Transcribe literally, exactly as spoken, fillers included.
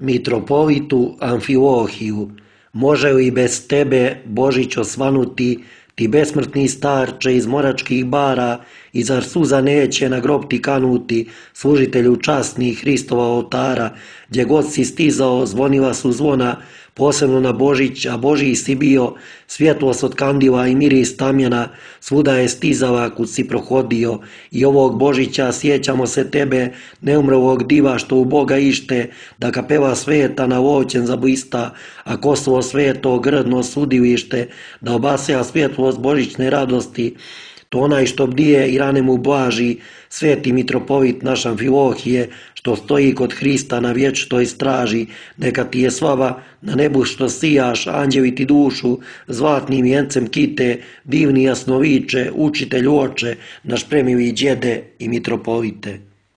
Mitropolitu Amfilohiju, može li bez tebe Božić osvanuti, ti besmrtni starče iz moračkih bara, i zar suza neće na grob ti kanuti, služitelju časnih Hristova oltara, gdje god si stizao zvonila su zvona, posebno na Božić, a Božiji si bio, svjetlost od kandila i miris tamjana, svuda je stizala kud si prohodio, i ovog Božića sjećamo se tebe, neumrlog diva što u Boga ište, da kapela sveta na voćen zablista, a Kosovo sveto grdno sudilište, da obasja svjetlost božićne radosti, to onaj što bdije i rane mu blaži, sveti mitropolit naš Amfilohije, što stoji kod Hrista na vječitoj straži, neka ti je slava na nebu što sijaš, anđeli ti dušu zlatnim vjencem kite, divni jasnoviče, učitelj oče, naš premili djede i mitropolite.